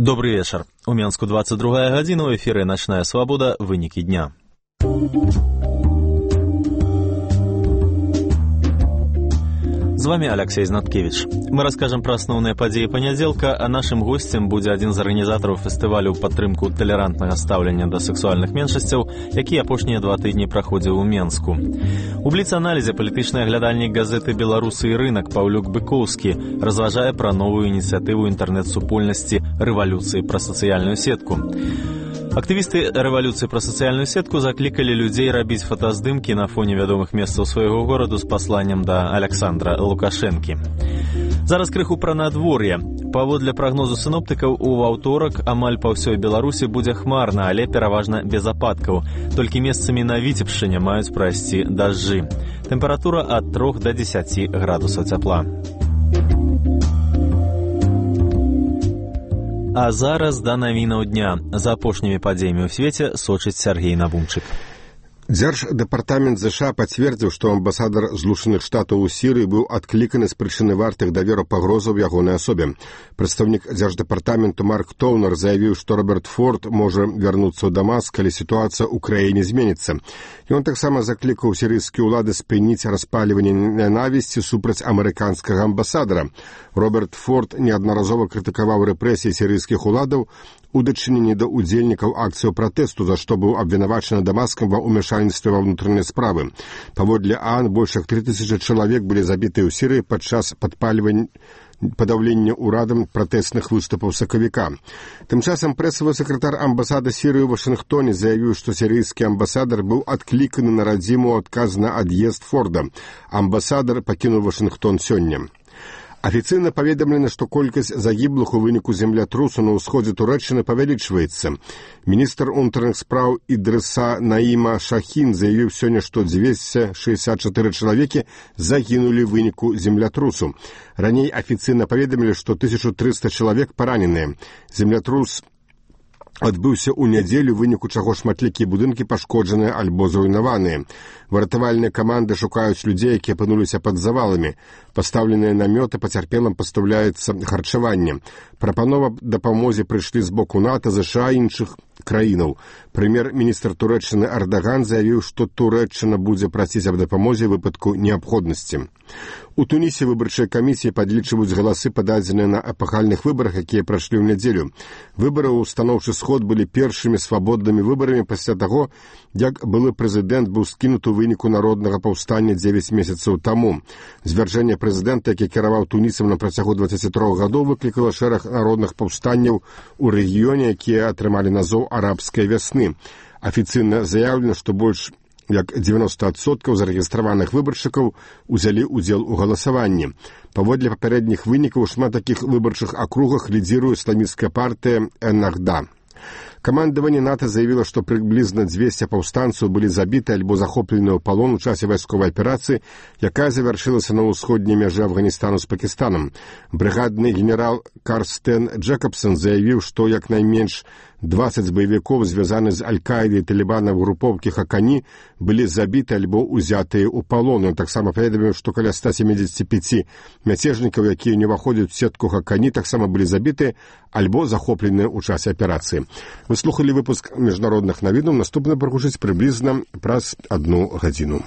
Добрый вечер. У Менску 22 гадзіна, у эфіры «Начная свобода. Вынікі дня». З вами Алексей Знаткевич. Мы расскажем про основные подеи понеделька, а нашим гостем будзе один з арганізатараў фестывалю ў падтрымку талерантнага стаўлення да сексуальных меншасцяў, які апошнія 2 тыдні праходзіў у Менску. У бліц-аналізе палітычны аглядальнік газеты «Беларусы і рынак» Паўлюк Быкоўскі разважае пра новую ініцыятыву інтэрнэт-супольнасці рэвалюцыі пра сацыяльную сетку. Актывісты рэвалюцыі пра сацыяльную сетку заклікалі людзей рабіць фотаздымкі на фоне вядомых месцаў свайго гораду з пасланнем да Александра Лукашэнкі. Зараз крыху пра надвор'е. Паводле прагнозу сіноптыкаў, у аўторак амаль па ўсёй Беларусі будзе хмарна, але пераважна без ападкаў. Толькі месцамі на Віцебшчыне маюць прайсці дажджы. Тэмпература ад 3 да 10 градусаў цяпла. А зараз да навінаў дня. За апошнімі падзеямі ў свеце сочыць Сергей Навумчык. Дзярждэпартамент ЗША пацвердзіў, што амбасадар Злучаных Штатаў у Сірыі быў адкліканы з прычыны вартых даверу пагрозаў ягонай асобе. Прадстаўнік дзярждэпартаменту Марк Тоўнер заявіў, што Роберт Форд можа вярнуцца ў Дамаск, калі сітуацыя ў краіне зменіцца. Ён таксама заклікаў сірыйскія ўлады спыніць распаліванне ненавісці супраць амерыканскага амбасадара. Роберт Форд неаднаразова крытыкаваў рэпрэсіі сірыйскіх уладаў у дачыненні да ўдзельнікаў акцыяў пратэсту, за што быў абвінавачаны Дамаскам ва ўмяшальніцтве ва ўнутраныя справы. Паводле ААН, больш як 3000 чалавек былі забітыя ў Сірыі падчас падаўлення ўрадам пратэсных выступаў сакавіка. Тым часам прэсавы сакратар амбасады Сірыі ў Вашынгтоне заявіў, што сірыйскі амбасадар быў адкліканы на радзіму ў адказ на ад'езд Форда. Амбасадар пакінуў Вашынгтон сёння. Афіцыйна паведамлена, што колькасць загіблых у выніку землятрусу на ўсходзе Турэччыны павялічваецца. Міністр унутраных спраў Ідрыса Наіма Шахін заявіў сёння, што 264 чалавекі загінулі ў выніку землятрусу. Раней афіцыйна паведамілі, што 1300 чалавек параненыя. Землятрус адбыўся ў нядзелю, выніку чаго шматлікія будынкі пашкоджаныя альбо зруйнаваныя. Выратавальныя каманды шукаюць людзей, якія апынуліся пад заваламі. Пастаўленыя намёты пацярпелым пастаўляецца харчаванне. Прапанова дапамозе прыйшлі з боку НАТО, ЗША і іншых краінаў. Прэм'ер-міністр Турэччыны Ардаган заявіў, што Турэччына будзе прасіць аб дапамозе ў выпадку неабходнасці. У Тунісе выбарчыя камісіі падлічваюць галасы, пададзеныя на эпахальных выбарах, якія прайшлі ў нядзелю. Выбары ў устаноўчы сход былі першымі свабоднымі выбарамі пасля таго, як былы прэзідэнт быў скінуты ў выніку народнага паўстання 9 месяцаў таму. Звяржэнне прэзідэнта, які кіраваў Тунісам на працягу 23 гадоў, выклікала шэраг народных паўстанняў у рэгіёне, якія атрымалі назоў арабскай вясны. Афіцыйна заяўлена, што больш як 90% зарэгістраваных выбаршчыкаў узялі ўдзел у галасаванні. Паводле папярэдніх вынікаў, шмат такіх выбарчых акругах лідзіруе ісламісцкая партыя Эннахда. Камандаванне НАТО заявіла, што прыблізна 200 паўстанцаў былі забіты альбо захоплены ў палон у часе вайсковай аперацыі, якая завяршылася на ўсходняй мяжы Афганістану з Пакістанам. Брыгадны генерал Карстен Джэкабсон заявіў, што як найменш 20 баевікоў, звязаны з Аль-Каідай і Талібанам групоўкі Хакані, былі забіты альбо ўзятыя ў палон. Ён таксама паведаміў, што каля 175 мяцежнікаў, якія не ўваходзяць у сетку Хакані, таксама былі забіты альбо захопленыя ў часе аперацыі. Вы слухалі выпуск міжнародных навінаў. Наступны прагучыць прыблізна праз 1 гадзіну.